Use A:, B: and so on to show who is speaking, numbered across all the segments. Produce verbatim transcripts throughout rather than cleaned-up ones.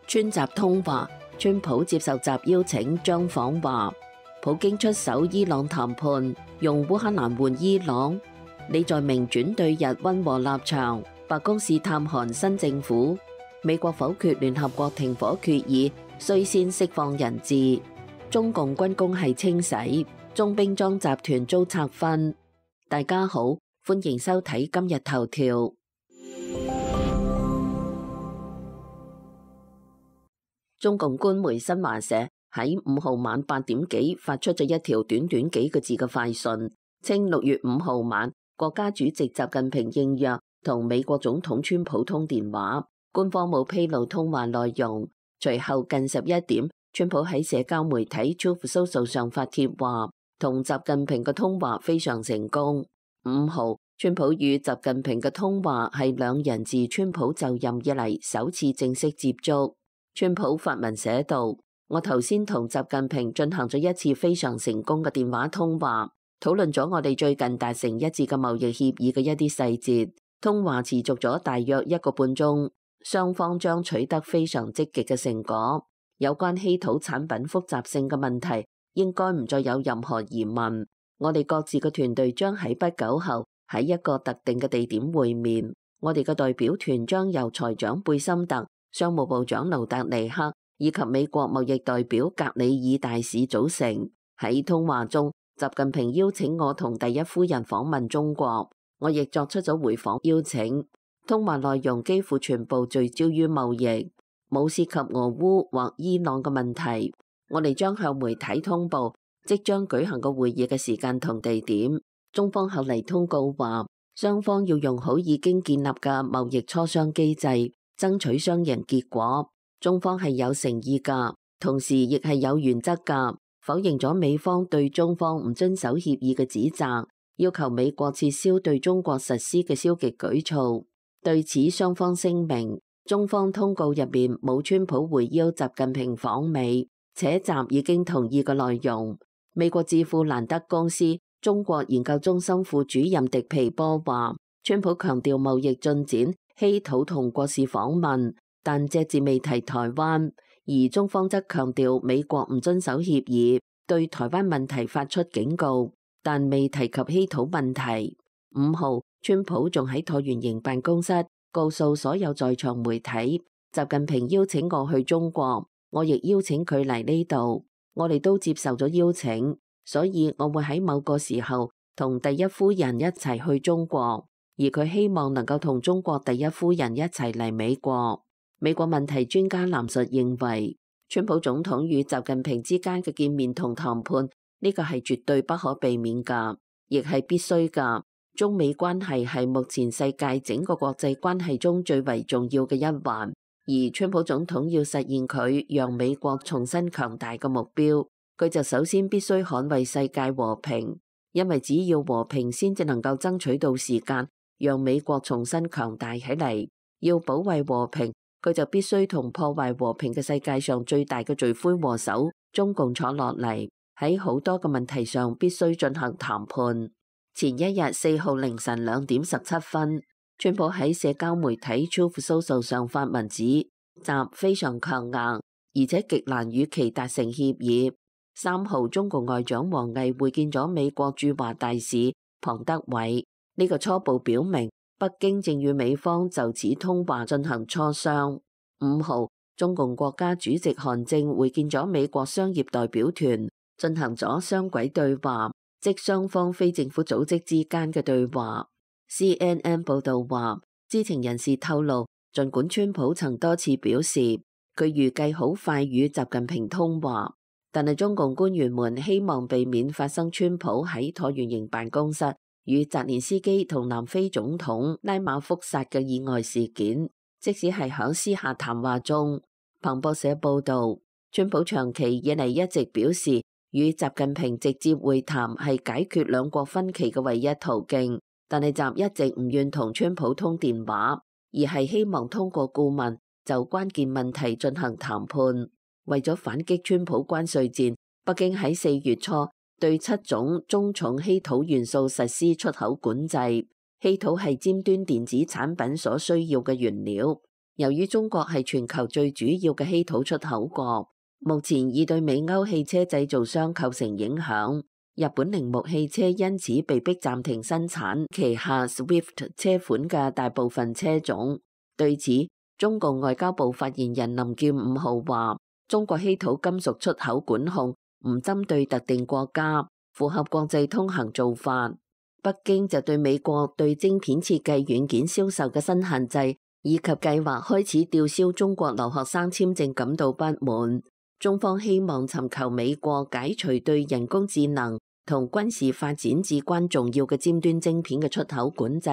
A: 川習通話，川普接受習邀請將訪華。普京出手伊朗談判，用烏克蘭換伊朗。李在明轉對日溫和立場。白宮試探韓新政府。美國否決聯合國停火決議，須先釋放人質。中共軍工系清洗，中兵裝集團遭拆分。大家好，歡迎收睇今日頭條。中共官媒新華社喺五號晚八點幾發出咗一條短短幾個字嘅快訊，稱六月五號晚國家主席習近平應約同美國總統川普通電話，官方冇披露通話內容。隨後近十一點，川普喺社交媒體 Truth Social 上發帖話，同習近平嘅通話非常成功。五號，川普與習近平嘅通話係兩人自川普就任以嚟首次正式接觸。川普發文寫道：我頭先同習近平進行咗一次非常成功嘅電話通話，討論咗我哋最近達成一致嘅貿易協議嘅一啲細節。通話持續咗大約一個半鐘，雙方將取得非常積極嘅成果。有關稀土產品複雜性嘅問題，應該唔再有任何疑問。我哋各自嘅團隊將喺不久後喺一個特定嘅地點會面。我哋嘅代表團將由財長貝森特、商務部長盧達尼克以及美國貿易代表格里爾大使組成。喺通話中，習近平邀請我同第一夫人訪問中國，我亦作出咗回訪邀請。通話內容幾乎全部聚焦於貿易，冇涉及俄烏或伊朗嘅問題。我哋將向媒體通報即將舉行嘅會議嘅時間同地點。中方後嚟通告話，雙方要用好已經建立嘅貿易磋商機制，爭取雙贏結果。中方係有誠意噶，同時亦係有原則噶，否認咗美方對中方唔遵守協議嘅指責，要求美國撤銷對中國實施嘅消極舉措。對此，雙方聲明，中方通告入面冇川普會邀習近平訪美，且習已經同意嘅內容。美國智庫蘭德公司中國研究中心副主任迪皮波話，川普強調貿易進展、稀土同國事訪問，但隻字未提台灣，而中方則強調美國唔遵守協議，對台灣問題發出警告，但未提及稀土問題。五號，川普仲喺橢圓形辦公室告訴所有在場媒體，習近平邀請我去中國，我亦邀請佢嚟呢度，我哋都接受咗邀請，所以我會喺某個時候同第一夫人一齊去中國，而佢希望能夠同中國第一夫人一齊嚟美國。美國問題專家藍述認為，川普總統與習近平之間嘅見面同談判，呢個係絕對不可避免噶，亦係必須噶。中美關係係目前世界整個國際關係中最為重要嘅一環，而川普總統要實現佢讓美國重新強大嘅目標，佢就首先必須捍衛世界和平，因為只要和平先至能夠爭取到時間，讓美國重新強大起嚟。要保衛和平，佢就必須同破壞和平嘅世界上最大嘅罪魁禍首中共坐落嚟，喺好多嘅問題上必須進行談判。前一日四號凌晨兩點十七分，川普喺社交媒體 Truth Social 上發文指，習非常強硬，而且極難與其達成協議。三號，中共外長王毅會見咗美國駐華大使龐德偉，呢個初步表明北京正與美方就此通話進行磋商。五號，中共國家主席韓正會見咗美國商業代表團，進行咗雙軌對話，即雙方非政府組織之間嘅對話。C N N 報道話，知情人士透露，儘管川普曾多次表示佢預計好快與習近平通話，但係中共官員們希望避免發生川普喺橢圓形辦公室與澤連斯基同南非總統拉馬福薩嘅意外事件。即使係響私下談話中，彭博社報道，川普長期以嚟一直表示，與習近平直接會談係解決兩國分歧嘅唯一途徑，但係習一直唔願同川普通電話，而係希望通過顧問就關鍵問題進行談判。為咗反擊川普關稅戰，北京喺四月初對七種中重稀土元素實施出口管制。稀土係尖端電子產品所需要嘅原料，由於中國係全球最主要嘅稀土出口國，目前已對美歐汽車製造商構成影響。日本鈴木汽車因此被迫暫停生產旗下 Swift 車款嘅大部分車種。對此，中共外交部發言人林健五號話：中國稀土金屬出口管控唔針對特定國家，符合國際通行做法。北京就對美國對晶片設計軟件銷售嘅新限制，以及計劃開始吊銷中國留學生簽證感到不滿。中方希望尋求美國解除對人工智能同軍事發展至關重要嘅尖端晶片嘅出口管制，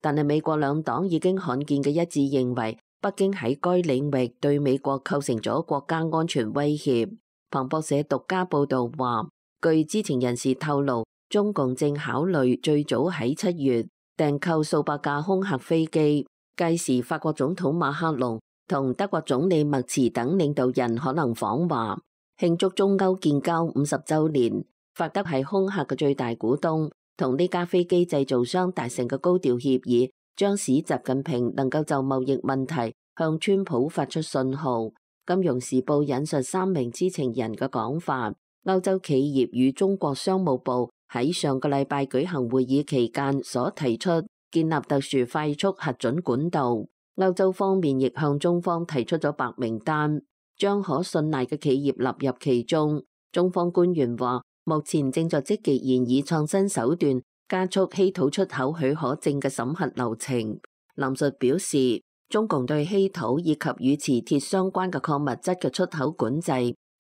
A: 但係美國兩黨已經罕見嘅一致認為，北京喺該領域對美國構成咗國家安全威脅。彭博社獨家報道話，據知情人士透露，中共正考慮最早喺七月訂購數百架空客飛機，屆時法國總統馬克龍同德國總理默茨等領導人可能訪華，慶祝中歐建交五十週年。法德係空客嘅最大股東，同呢家飛機製造商達成嘅高調協議，將使習近平能夠就貿易問題向川普發出信號。金融時報引述三名知情人嘅講法，歐洲企業與中國商務部喺上個禮拜舉行會議期間所提出建立特殊快速核准管道。歐洲方面亦向中方提出咗白名單，將可信賴嘅企業納入其中。中方官員話，目前正在積極研擬創新手段，加速稀土出口許可證嘅審核流程。林述表示，中共對稀土以及與磁鐵相關嘅礦物質嘅出口管制，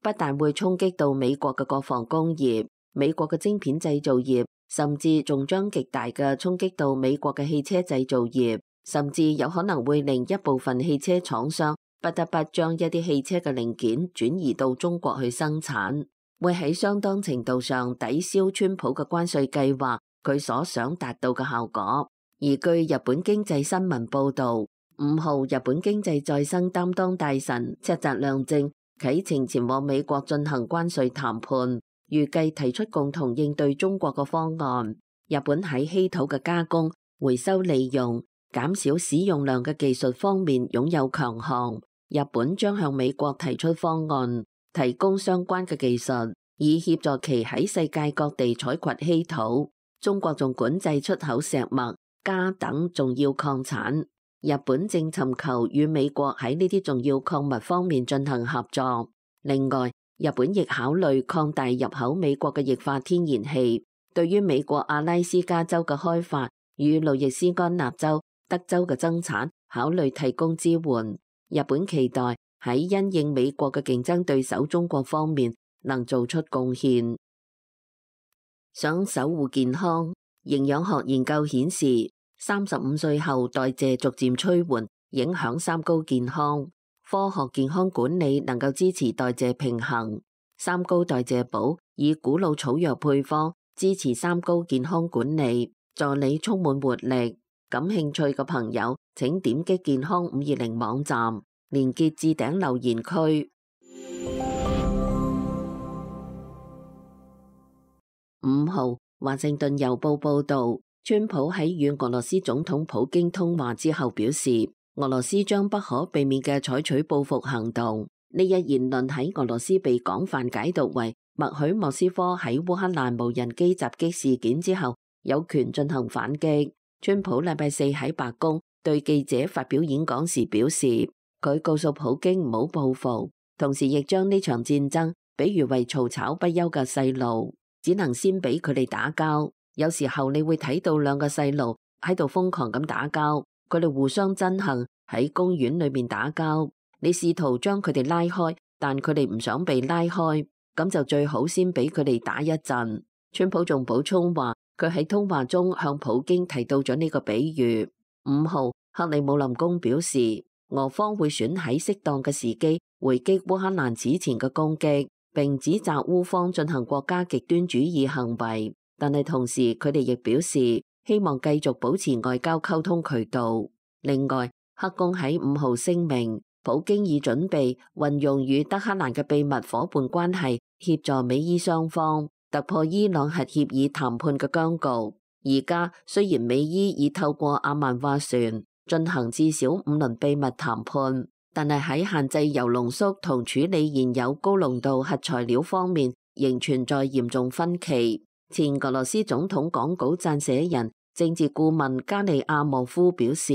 A: 不但會衝擊到美國嘅國防工業、美國嘅晶片製造業，甚至仲將極大嘅衝擊到美國嘅汽車製造業。甚至有可能會令一部分汽車廠商不得不將一啲汽車嘅零件轉移到中國去生產，會喺相當程度上抵消川普嘅關稅計劃佢所想達到嘅效果。而據日本經濟新聞報道，五號日本經濟再生擔當大臣赤澤亮正啟程前往美國進行關稅談判，預計提出共同應對中國嘅方案。日本喺稀土嘅加工、回收利用、減少使用量嘅技術方面擁有強項，日本將向美國提出方案，提供相關嘅技術，以協助其喺世界各地採掘稀土。中國仲管制出口石墨、鎵等重要礦產，日本正尋求與美國喺呢啲重要礦物方面進行合作。另外，日本亦考慮擴大入口美國嘅液化天然氣，對於美國阿拉斯加州嘅開發與路易斯安那州、德州嘅增產考慮提供支援。日本期待喺因應美國嘅競爭對手中國方面能做出貢獻。想守護健康，營養學研究顯示，三十五歲後代謝逐漸趨緩，影響三高健康。科學健康管理能夠支持代謝平衡。三高代謝寶以古老草藥配方支持三高健康管理，助你充滿活力。感興趣嘅朋友，請點擊健康五二零網站，連結置頂留言區。五號，華盛頓郵報報道，川普喺與俄羅斯總統普京通話之後表示，俄羅斯將不可避免嘅採取報復行動。呢一言論喺俄羅斯被廣泛解讀為默許莫斯科喺烏克蘭無人機襲擊事件之後有權進行反擊。川普禮拜四喺白宮對記者發表演講時表示，佢告訴普京唔好報復，同時亦將呢場戰爭比喻為嘈吵不休嘅細路，只能先俾佢哋打交。有時候你會睇到兩個細路喺度瘋狂咁打交，佢哋互相憎恨，喺公園裏面打交。你試圖將佢哋拉開，但佢哋唔想被拉開，咁就最好先俾佢哋打一陣。川普仲補充話，佢喺通話中向普京提到咗呢個比喻。五號，克里姆林宮表示，俄方會選喺適當嘅時機回擊烏克蘭此前嘅攻擊，並指責烏方進行國家極端主義行為。但係同時，佢哋亦表示希望繼續保持外交溝通渠道。另外，克宮喺五號聲明，普京已準備運用與德黑蘭嘅秘密夥伴關係，協助美伊雙方突破伊朗核協議談判嘅僵局。而家雖然美伊已透過阿曼斡旋進行至少五輪秘密談判，但係喺限制鈾濃縮同處理現有高濃度核材料方面，仍存在嚴重分歧。前俄羅斯總統講稿撰寫人、政治顧問加利亞莫夫表示，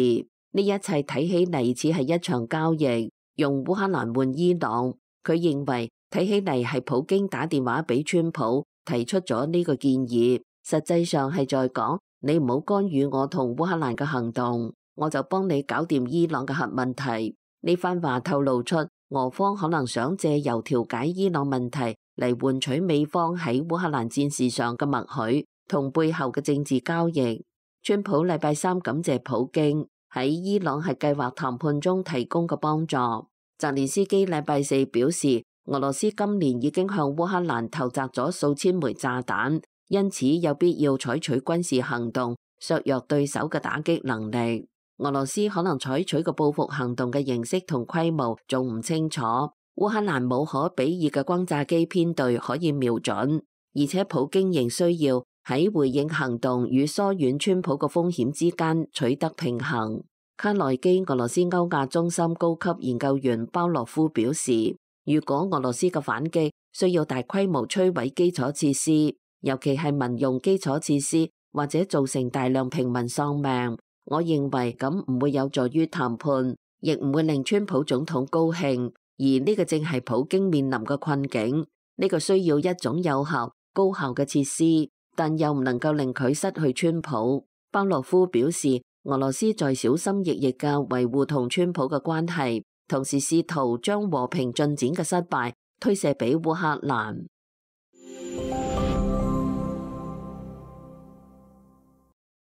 A: 呢一切睇起嚟似係一場交易，用烏克蘭換伊朗。佢認為睇起嚟係普京打電話俾川普，提出咗呢個建議，實際上係在講你唔好干預我同烏克蘭嘅行動，我就幫你搞掂伊朗嘅核問題。呢番話透露出俄方可能想借由調解伊朗問題嚟換取美方喺烏克蘭戰事上嘅默許同背後嘅政治交易。川普禮拜三感謝普京喺伊朗核計劃談判中提供嘅幫助。澤連斯基禮拜四表示，俄羅斯今年已經向烏克蘭投擲咗數千枚炸彈，因此有必要採取軍事行動削弱對手嘅打擊能力。俄羅斯可能採取嘅報復行動嘅形式同規模仲唔清楚。烏克蘭冇可比擬嘅轟炸機編隊可以瞄準，而且普京仍需要喺回應行動與疏遠川普嘅風險之間取得平衡。卡內基俄羅斯歐亞中心高級研究員鮑洛夫表示，如果俄羅斯嘅反擊需要大規模摧毀基礎設施，尤其係民用基礎設施，或者造成大量平民喪命，我認為咁唔會有助於談判，亦唔會令川普總統高興。而呢個正係普京面臨嘅困境，呢個需要一種有效、高效嘅設施，但又唔能夠令佢失去川普。鮑洛夫表示，俄羅斯在小心翼翼嘅維護同川普嘅關係，同時試圖將和平進展嘅失敗推卸俾烏克蘭。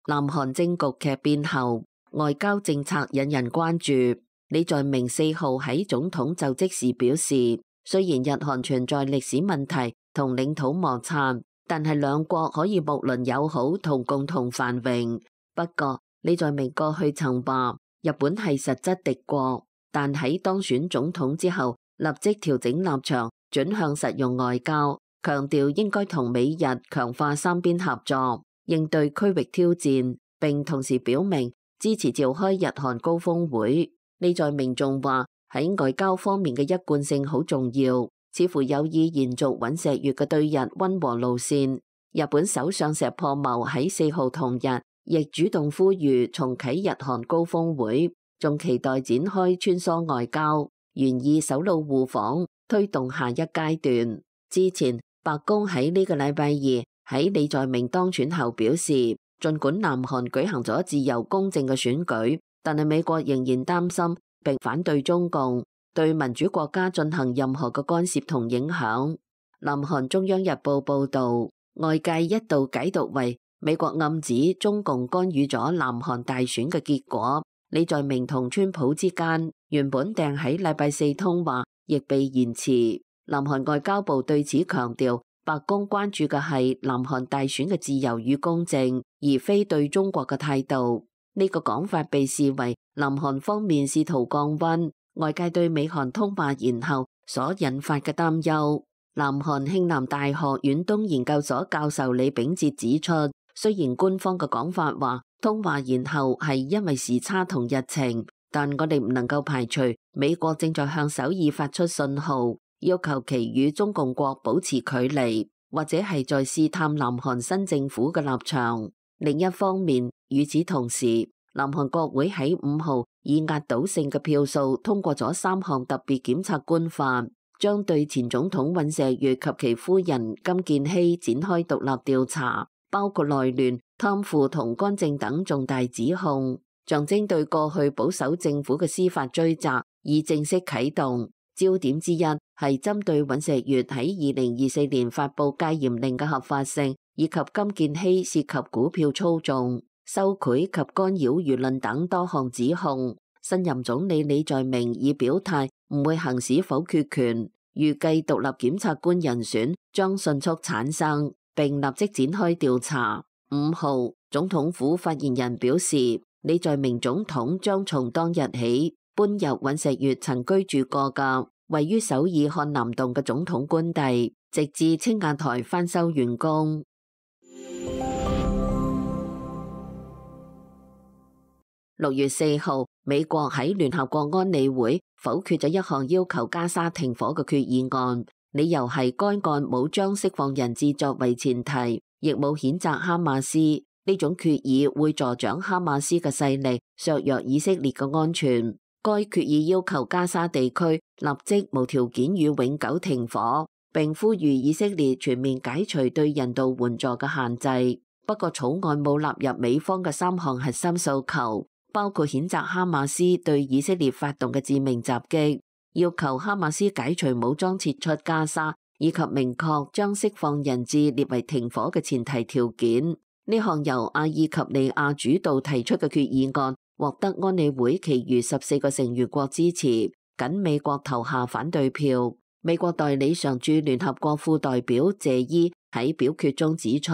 A: 南韓政局劇變後，外交政策引人關注。李在明四號喺總統就職時表示，雖然日韓存在歷史問題同領土摩擦，但係兩國可以睦鄰友好同共同繁榮。不過，李在明過去曾話日本係實質敵國，但喺當選總統之後，立即調整立場，轉向實用外交，強調應該同美日強化三邊合作，應對區域挑戰，並同時表明支持召開日韓高峰會。李在明仲話喺外交方面嘅一貫性好重要，似乎有意延續尹錫悅嘅對日溫和路線。日本首相石破茂喺四號同日亦主動呼籲重啟日韓高峰會，仲期待展開穿梭外交，願意首腦互訪，推動下一階段。之前白宮喺呢個禮拜二喺李在明當選後表示，儘管南韓舉行咗自由公正嘅選舉，但係美國仍然擔心並反對中共對民主國家進行任何嘅干涉同影響。南韓中央日報報道，外界一度解讀為美國暗指中共干預咗南韓大選嘅結果。李在明同川普之間原本訂喺禮拜四通話，亦被延遲。南韓外交部對此強調，白宮關注嘅係南韓大選嘅自由與公正，而非對中國嘅態度。呢個講法被視為南韓方面試圖降溫，外界對美韓通話延後所引發嘅擔憂。南韓慶南大學遠東研究所教授李秉哲指出，雖然官方嘅講法話通話延後係因為時差同日程，但我哋唔能夠排除美國正在向首爾發出信號，要求其與中共國保持距離，或者係在試探南韓新政府嘅立場。另一方面，與此同時，南韓國會喺五號以壓倒性嘅票數通過咗三項特別檢察官法，將對前總統尹錫悅及其夫人金建希展開獨立調查，包括內亂、貪腐同干政等重大指控，象徵對過去保守政府嘅司法追責已正式啟動。焦點之一係針對尹錫悅喺二零二四年發布戒嚴令嘅合法性，以及金建希涉及股票操縱、收賄及干擾輿論等多項指控。新任總理李在明已表態唔會行使否決權，預計獨立檢察官人選將迅速產生，並立即展開調查。五號，總統府發言人表示，李在明總統將從當日起搬入尹錫悅曾居住過嘅位於首爾漢南洞嘅總統官邸，直至青瓦台翻修完工。六月四號，美國喺聯合國安理會否決咗一項要求加沙停火嘅決議案，理由係該案冇將釋放人質作為前提，亦冇譴責哈馬斯。呢種決議會助長哈馬斯嘅勢力，削弱以色列嘅安全。該決議要求加沙地區立即無條件與永久停火，並呼籲以色列全面解除對人道援助嘅限制。不過草案冇納入美方嘅三項核心訴求，包括譴責哈馬斯對以色列發動嘅致命襲擊，要求哈馬斯解除武裝撤出加沙，以及明確將釋放人質列為停火嘅前提條件。呢項由阿爾及利亞主導提出嘅決議案獲得安理會其餘十四個成員國支持，僅美國投下反對票。美國代理常駐聯合國副代表謝伊喺表決中指出，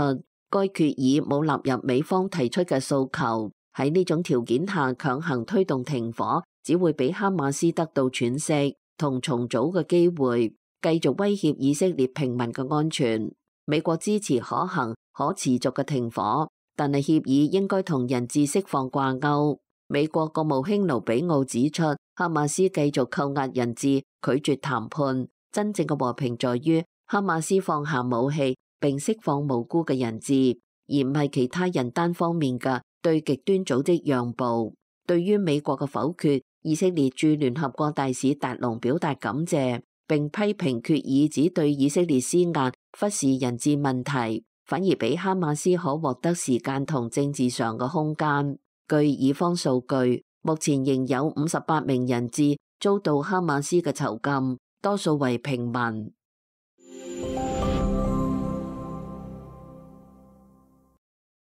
A: 該決議冇納入美方提出嘅訴求，喺呢種條件下強行推動停火，只會俾哈馬斯得到喘息同重組嘅機會，繼續威脅以色列平民嘅安全。美國支持可行可持續嘅停火，但係協議應該同人質釋放掛鈎。美國國務卿盧比奧指出，哈馬斯繼續扣押人質，拒絕談判。真正嘅和平在於哈馬斯放下武器並釋放無辜嘅人質，而唔係其他人單方面嘅對極端組織讓步。對於美國嘅否決，以色列駐聯合國大使達隆表達感謝，並批評決議只對以色列施壓，忽視人質問題，反而俾哈馬斯可獲得時間同政治上嘅空間。據以方數據，目前仍有五十八名人質遭到哈馬斯嘅囚禁，多數為平民。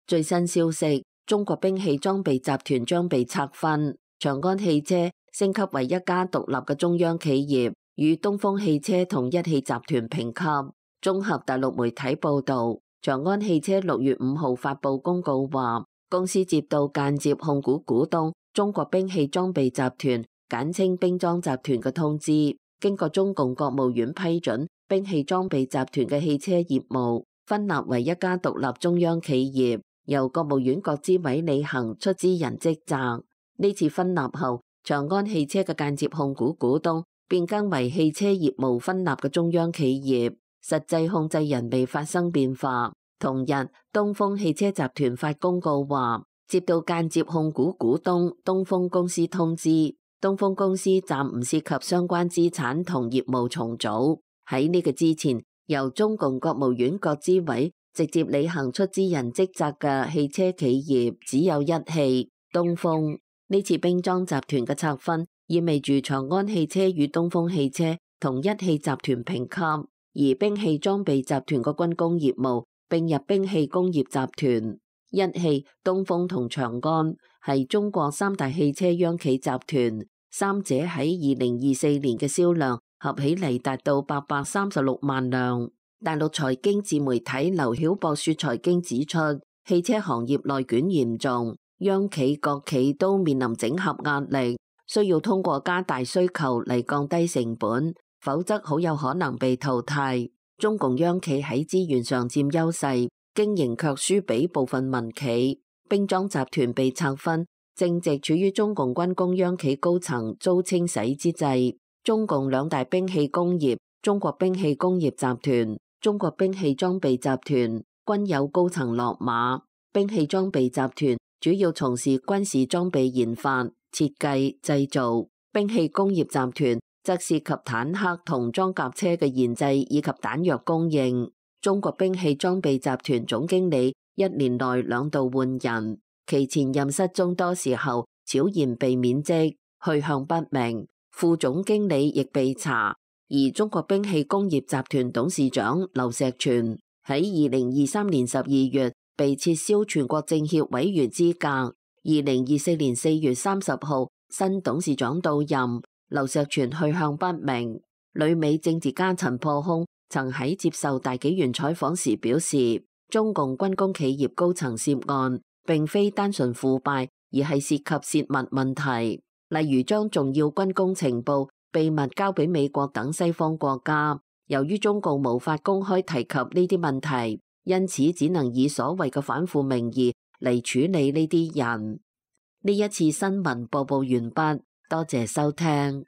A: 最新消息，中國兵器裝備集團將被拆分，長安汽車升級為一家獨立嘅中央企業，與東風汽車同一汽集團評級。綜合大陸媒體報道，長安汽車六月五號發布公告話，公司接到間接控股股東中國兵器裝備集團（簡稱兵裝集團）嘅通知，經過中共國務院批准，兵器裝備集團嘅汽車業務分立為一家獨立中央企業，由國務院國資委履行出資人職責。呢次分立後，長安汽車嘅間接控股股東變更為汽車業務分立嘅中央企業，實際控制人未發生變化。同日，東風汽車集團發公告話，接到間接控股股東東風公司通知，東風公司暫唔涉及相關資產同業務重組。喺呢個之前，由中共國務院國資委直接履行出資人職責嘅汽車企業只有一汽東風。呢次兵裝集團嘅拆分，意味住長安汽車與東風汽車同一汽集團評級，而兵器裝備集團嘅軍工業務並入兵器工業集團。一汽、東風同長安係中國三大汽車央企集團，三者喺二零二四年嘅銷量合起嚟達到八百三十六萬輛。大陸財經自媒體劉曉博說財經指出，汽車行業內捲嚴重，央企國企都面臨整合壓力，需要通過加大需求嚟降低成本，否則好有可能被淘汰。中共央企喺資源上佔優勢，經營卻輸俾部分民企。兵裝集團被拆分，正值處於中共軍工央企高層遭清洗之際。中共兩大兵器工業中國兵器工業集團、中國兵器裝備集團均有高層落馬。兵器裝備集團主要從事軍事裝備研發、設計、製造；兵器工業集團則涉及坦克同裝甲車嘅研製以及彈藥供應。中國兵器裝備集團總經理一年內兩度換人，其前任失蹤多時候，悄然被免職，去向不明。副總經理亦被查。而中國兵器工業集團董事長劉石泉喺二零二三年十二月被撤銷全國政協委員資格。二零二四年四月三十號，新董事長到任，劉石泉去向不明。旅美政治家陳破空曾喺接受大紀元採訪時表示，中共軍工企業高層涉案，並非單純腐敗，而係涉及洩密問題，例如將重要軍工情報秘密交俾美國等西方國家。由於中共無法公開提及呢啲問題，因此只能以所謂嘅反腐名義嚟處理呢啲人。呢一次新聞播報完畢，多謝收聽。